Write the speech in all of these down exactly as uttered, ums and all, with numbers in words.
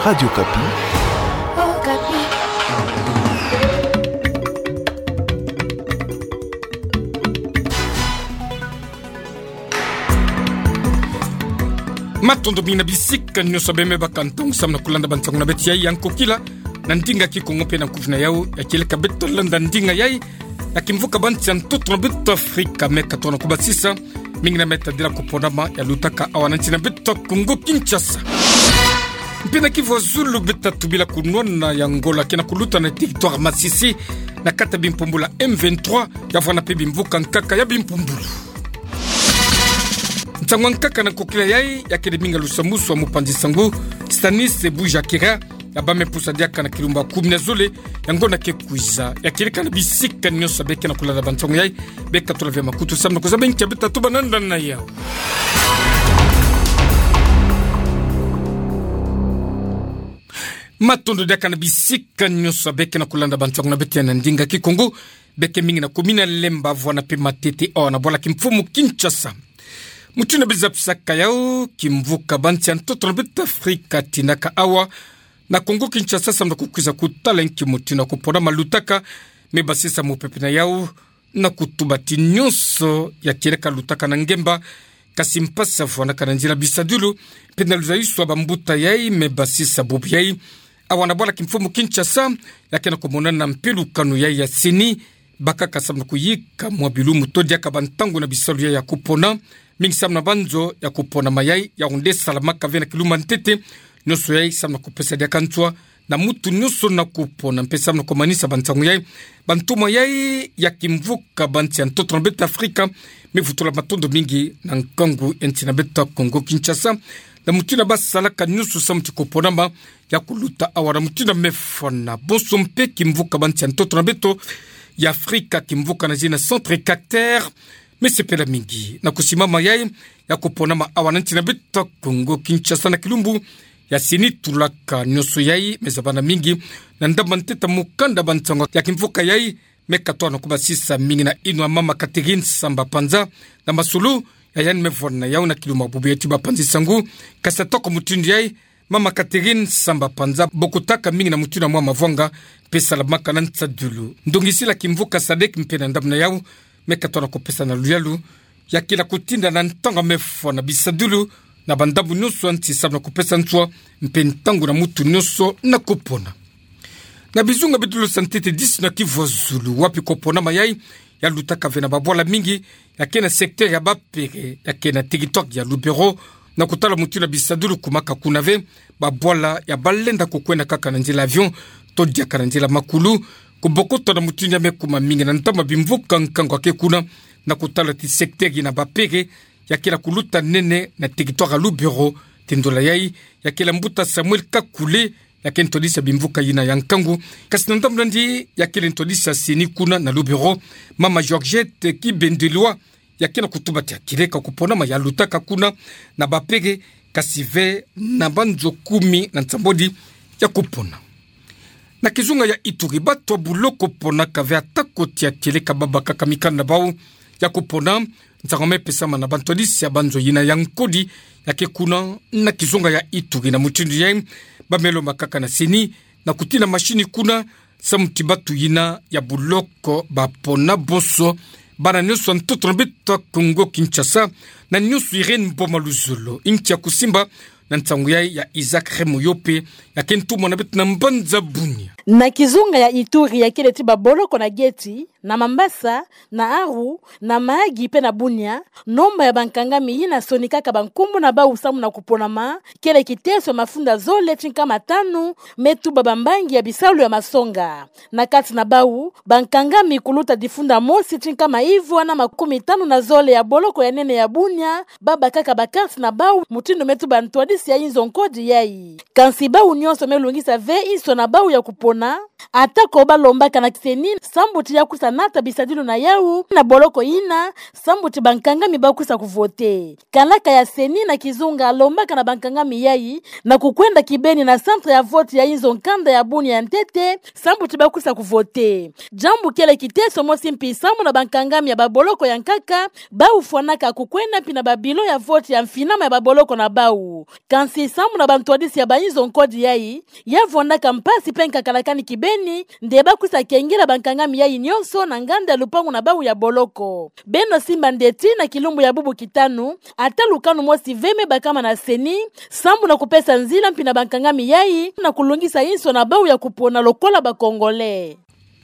Radio Okapi. Okapi. Matondo mingi na bisika nyonso beme baka ntangu samu na kulanda bansango na beto ya nkokila na ndinga Kikongo mpe na nkufi na yau, ya kieleka beto landa ndinga yai ya kimvuka bansi ya ntoto na beto Afrika, me katono kubasisa mingi na me tadila kuponama ya lutaka awa na nsi na beto Kongo Kinshasa. Mpe na Kivu ya zulu beto tubila kunwana ya Angola ke na kuluta na territoire Masisi na kati ya bimpumbulu ya M vingt-trois, ya vwanda mpe bimvuka nkaka ya bimpumbulu. Nsangu ya nkaka na nkokila yai ya kele mingi ya lusamusu ya mupanzi sango Stanis Bujakera, ya bame pusa diaka na kilumbu ya kumi na zole ya ngonda ke kwiza, ya kieleka na bisika nyonso beke na kulanda bansango yai, beka tula ve makutu samu na kuzaba nki ya beto tatuba nanda na yau. Matondo diaka na bisika nyonso beke na kulanda bansango na beto ya na ndinga Kikongo, beke mingi na commune ya Lemba, vwanda mpe Matete, awa na bwala kimfumu Kinshasa. Mutindu na biza pisaka yau, kimvuka bansi ya ntoto na beto Afrika tinaka awa na Kongo Kinshasa samu na kukwiza kutala nki mutindu ya kuponama lutaka, me basisa mupepe na yau na kutuba ti nyonso ya kieleka lutaka na ngemba, kasi mpasi ya vwandaka na nzila bisadilu, mpe na luzayiswa bambuta yai me basisa bubu yai. Awa na bwala kimfumu Kinshasa, ya ke na kumonana mpe lukanu yai ya CENI, bakaka samu na kuyika mwa bilumbu to diaka bantangu na bisalu yai ya kupona, mingi samu na banzo ya kuponama yai, yau nde salamaka ve na kilumbu ya ntete, nyonso yai samu na kupesa diaka nswa na mutu nyonso na kupona, mpe samu na kumanisa bansango yai, bantoma yai ya kimvuka bansi ya ntoto na beto Afrika me vutula matondo mingi na nkangu ya nsi na beto Kongo Kinshasa, na mutindu basalaka nyonso samu ti kuponama ya kuluta awa na mutindu mefwana. Bonso mpe kimvuka bansi ya ntoto na beto ya Afrika, kimvuka na zina Centre Carter, me sepela mingi na kusimama yai ya kuponama awa na nsi na beto Kongo Kinshasa na kilumbu ya CENI tulaka. Nyonso yai me zabana mingi na ndambu ya ntete ya mukanda bansango ya kimvuka yai, me katono kubasisa mingi na yinwa mama Catherine Samba Panza, na masolo ya yandi me vwanda na yau na kilumbu ya bubu ya ti bapanzi sango. Kasi atako mutindu yai, mama Catherine Samba Panza bokotaka mingi na mutindu ya mwa mavwanga, mpe salamaka na nsadilu ndongisila kimvuka SADC mpe na ndambu na yau, me katono kupesa na luyalu ya kila kutinda na ntangu mefwana bisadilu na bandambu nyonso ya nsi samu na kupesa nswa mpe ntangu na mutu nyonso na kupona. Na bizunga bidilu sa ntete disi na Kivu ya zulu, wapi kuponama yai ya lutaka ve na babwala mingi, ya ke na secteur ya Bapere, ya ke na territoire ya Lubero, na kutala mutindu ya bisadilu kumaka kuna ve, babwala ya balenda kukwenda kaka na nzila avion to diaka na nzila makulu, kubokota na mutindu ya me kuma mingi na ntama bimvuka nkangu ya ke kuna, na kutala ti secteur yina Bapere ya kila kuluta nene na territoire ya Lubero. Ti ndola yai ya kila mbuta Samuel Kakule, ya ke ntwadisi ya bimvuka yina ya nkangu, kasi na ndambu na yandi ya kele ntwadisi ya CENI kuna na Lubero, mama Georgette Kibendelwa, ya ke na kutuba ti ya kieleka kuponama ya lutaka kuna na Bapere, kasi ve na banzo kumi na nsambwadi ya kupona. Na kizunga ya Ituri, bato ya buloko ponaka ve atako ti ya kieleka babakaka mikanda na bau ya kupona. Nsangu me pesama na bantwadisi ya banzo yina ya nkodi ya ke kuna na kizunga ya Ituri, na mutindu yai ba me lomba kaka na CENI na kutina mashini kuna, samu ti bato yina ya buloko bapona. Bonso bana nyonso ya ntoto na beto Kongo Kinshasa, na nyonso Irène Boma Luzolo, inki ya kusimba na nsangu yai ya Isaac Remo Yope, ya ke ntumwa na beto na mbanza Bunia. Na kizunga ya Ituri ya kele ti baboloko na Geti, na Mambasa, na Aru, na Mahagi mpe na Bunia, nomba ya bankangami yina sonikaka bankumbu na bau samu na kuponama kele kiteso ya mafunda zole ti nkama tanu, me tuba bambangi ya bisalu ya masonga. Na kati na bau, bankangami kuluta difunda mosi ti nkama ivwa na makumi tanu na zole ya boloko ya nene ya Bunia babakaka bakarti na bau, mutindu me tuba ntwadisi ya inzo nkodi yai. Kansi bau nyonso me lungisa ve inso na bau ya kupona. Na, atako balombaka na CENI sambuti ya kwiza nata bisadilu na yawu na boloko yina, sambuti bankangami bakwiza kuvote. Kanaka ya CENI na kizunga alombaka na bankangami yayi na kukwenda kibeni na centre ya vote ya inzo nkanda ya Bunia ya ntete, sambuti bakwiza kuvote. Diambu kele kiteso mosi mpi samu na bankangami ya baboloko ya nkaka, bawu fwanaka kukwenda mpi na babilo ya vote ya mfinama ya baboloko na bawu. Kansi samu na bantwadisi ya bainzo nkodi yayi, ya vwandaka mpasi mpe nkakalakani kibeni, nde bakwiza kengela bankangami yayi nionso na nganda ya lupangu na bawu ya boloko. Beno simba ndeti na kilumbu ya bubu kitanu, ata lukanu mosi ve me bakama na CENI, sambu na kupesa nzila mpi na bankangami yayi, na kulungisa inso na bawu ya kupona lokola ba Congolais.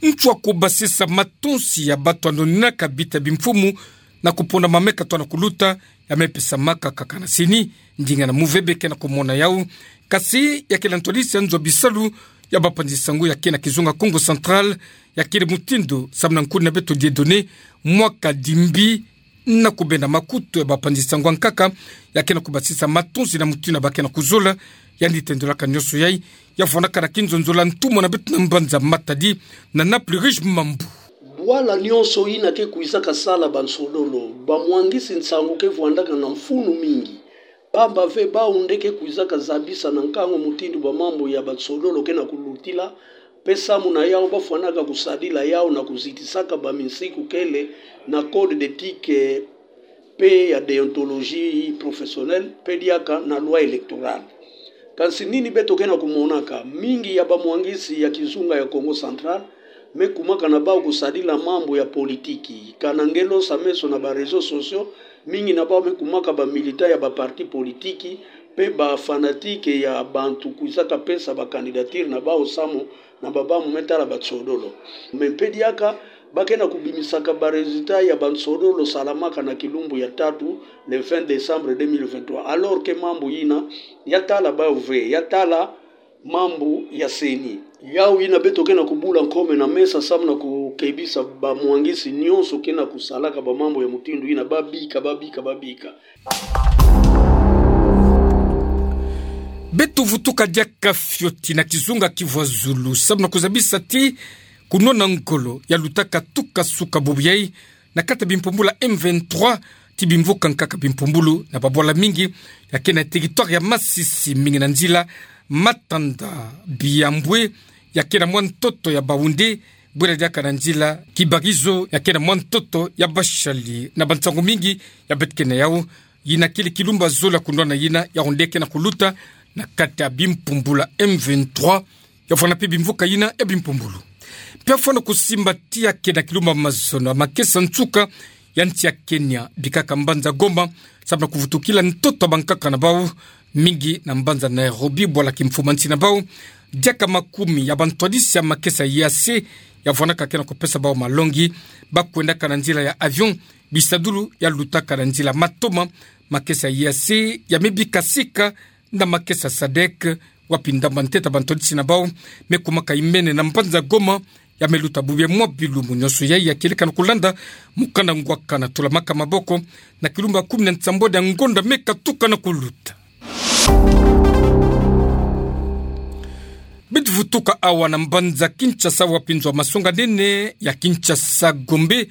Nswa kubasisa matonsi ya bato anoninaka bita bimfumu na kupona mameka twana kuluta, ya me pesamaka kaka na CENI, ndinga na move beke na kumona yawu. Kasi ya kele ntwadisi ya nzo bisalu ya bapanzi sango ya ke na kizunga Kongo Central, ya kele mutindu samu na nkuna beto Dieudonné Mwaka Dimbi, na kubenda makutu ya bapanzi sango ya nkaka, ya ke na kubasisa matonsi na mutindu ba ke na kuzola, yandi tendolaka nionso yayi, ya vwandaka na kinzonzolo ya ntumwa na beto na mbanza Matadi, na Naples Riche Mambu. Bwala nionso yina ke kwizaka sala bansodolo, bamwangisi nsangu ke vwandaka na mfunu mingi. Pamba ve bawu nde ke kwizaka zabisa na nkangu mutindu bamambu ya bansodolo ke na kulutila, mpe samu na yawu bafwanaka kusadila yawu na kuzitisaka baminsiku kele na code d'éthique mpe ya déontologie professionnelle, mpe diaka na loi électorale. Kansi nini beto ke na kumonaka, mingi ya bamwangisi ya kizunga ya Kongo Central me kumaka na bawu kusadila mambu ya politiki. Kana nge losa meso na ba réseaux sociaux, mingi na bawu me kumaka ba militants ya ba partis politiques, mpe ba fanatiques ya bantu kwizaka pesa ba candidatures na bawu samu na babamu me tala bansodolo. Mais mpe diaka, ba ke na kubimisaka ba résultats ya bansodolo salamaka na kilumbu ya tatu, le vingt décembre deux mille vingt-trois. Alors que mambu yina, ya tala bawu ve, ya tala mambu ya CENI. Yawu yina beto ke na kubula nkome na mesa samu na kukebisa bamwangisi nionso ke na kusalaka bamambu ya mutindu yina, babika, babika, babika. Beto vutuka diaka fioti na kizunga Kivu ya Zulu, samu na kuzabisa ti kunwana ngolo ya lutaka tuka suka bubu yayi na kati ya bimpumbulu ya M vingt-trois, ti bimvuka nkaka bimpumbulu na babwala mingi ya ke na territoire ya Masisi, mingi na nzila Matanda, Biambwe ya ke na mwa ntoto ya Baoundé, bwela diaka na nzila Kibarizo ya ke na mwa ntoto ya Bashali, na bansangu mingi ya beto ke na yawu. Yina kele kilumbu ya zole ya kunwana yina, yawu nde ke na kuluta na kati ya bimpumbulu ya M vingt-trois, ya vwanda mpe bimvuka yina ya bimpumbulu. Mpe ya vwanda kusimba ti ya ke na kilumbu ya mazono ya makesa nsuka ya nsi ya Kenya, bikaka mbanza Goma, samu na kuvutukila ntoto ya bankaka na bawu, mingi na mbanza Nairobi, bwala kimfumansi na bawu. Diaka makumi ya bantwadisi ya makesa ya E A C ya vwandaka ke na kupesa bawu malongi, ba kwendaka na nzila ya avion, bisadulu ya lutaka na nzila matoma. Makesa ya E A C ya me bika sika na makesa SADC, wapi ndamba ntete ya bantwadisi na bawu me kumaka imene na mbanza Goma, ya me luta bubu ya mwa bilumbu nionso yayi. Ya kieleka na kulanda mukanda ngwaka na tula maka maboko na kilumbu ya kumi na nsambwadi ya ngonda me katuka na kuluta. Beto vutuka awa na mbanza Kinshasa, wapi nzo ya masonga nene ya Kinshasa Gombe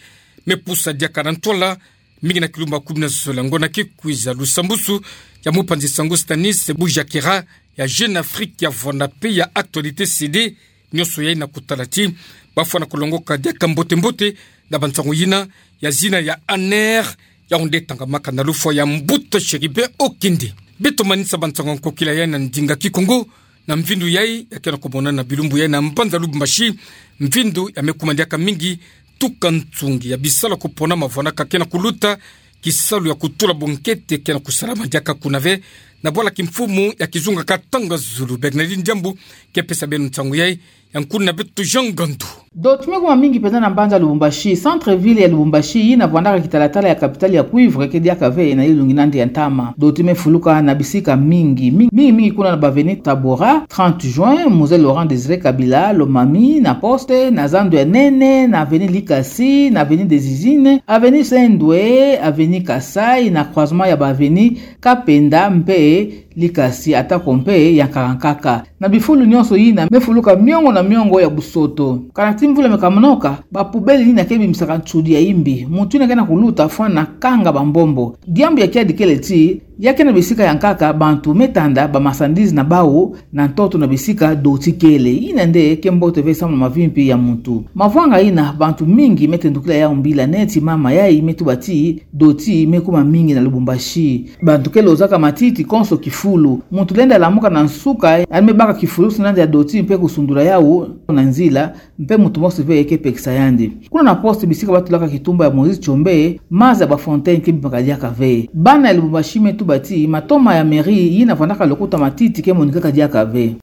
me pusa diaka na ntwala, mingi na kilumbu ya kumi na zole ya ngonda ke kwiza. Lusambusu ya mupanzi sango Stanis Bujakera ya Jeune Afrique ya vwanda mpe ya Actualité C D, nionso yayi na kutala ti ba fwana kulongoka diaka mbote mbote na bansangu yina ya zina ya ANR, yawu nde tangamaka na lufwa ya mbuta Chérubin Okende. Beto manisa bansangu ya nkokila yayi na ndinga Kikongo, na mvindu yayi ya ke na kumonana bilumbu yayi na mbanza Lubumbashi, mvindu ya me kuma diaka mingi tuka nsungi ya bisalu ya kuponama vwandaka ke na kuluta, kisalu ya kutula bonkete ke na kusalama diaka kuna ve. Na bwala kimfumu ya kizunga Katanga Zulu, Bernardine Diambu ke pesa beno nsangu yayi, ya nkuna beto Jean Ngandu. Doti me kuma mingi mpenza na mbanza Lubumbashi. Centre-ville ya Lubumbashi, yina vwandaka kitalatala ya capitale ya cuivre, ke diaka ve na yilungi nandi ya ntama. Doti me fuluka na bisika mingi. Mingi, mingi, mingi kuna na ba avenue Tabora, trente juin, Mzee Laurent Désiré Kabila, Lomami, na Poste, na zandu ya nene, na avenue Likasi, na avenue des Usines, avenue Saint-Louis, avenue Kasaï, na croisement ya ba avenue Kapenda mpe Likasi atako mpe yankaka-nkaka. Na bifulu nyonso yina mefuluka miongo na miongo ya busoto. Kana ti mvula meka monoka, ba poubelle yina ke bimisaka nsudi ya imbi. Muntu yina ke na kuluta fwana kanga bambombo. Diambu ya kiadi kele ti, ya ke na bisika yankaka bantu metanda ba marchandise na bau na ntoto na bisika doti kele. Yina nde ke mbote ve samu na mavimpi ya muntu. Mavwanga yina bantu mingi metendukila yau mbila neti mama yai metuba ti doti mekuma mingi na Lubumbashi. Bantu ke lozaka matiti konso kifulu. Muntu lenda lamuka na nsuka, yandi mebaka kifulu si nandi ya doti mpe kusundula yau na nzila, mpe muntu mosi ve ke pekisa yandi. Kuna na poste bisika batulaka kitumba ya Moïse Tshombe, maza ya ba fontaine ke bimaka diaka ve. Bana ya Lubumbashi metuba ti matoma ya mairie yina vandaka lokuta matiti ke monikaka diaka ve.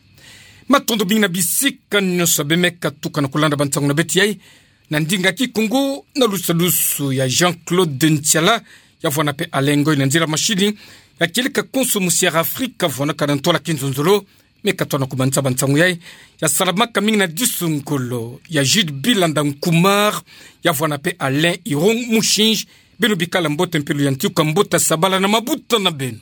Matondo mingi na bisika nyonso beno meka tuka na kulanda bansangu na beto yai, na ndinga kikongo, na lusalusu ya Jean-Claude Ntiala, ya vwanda mpe Alain Ngoy na nzila mashini, ya kieleka konso musi Air Afrika vwandaka na ntwala kinzonzolo. Meka tona kumanisa bansangu yai, ya salamaka mingi na disu ngolo ya Jude Bilanda Nkumar, ya vwanda mpe Alain Irung Mushinji. Beno bikala mbote mpe luyantika mbuta sabala na mabuta na beno.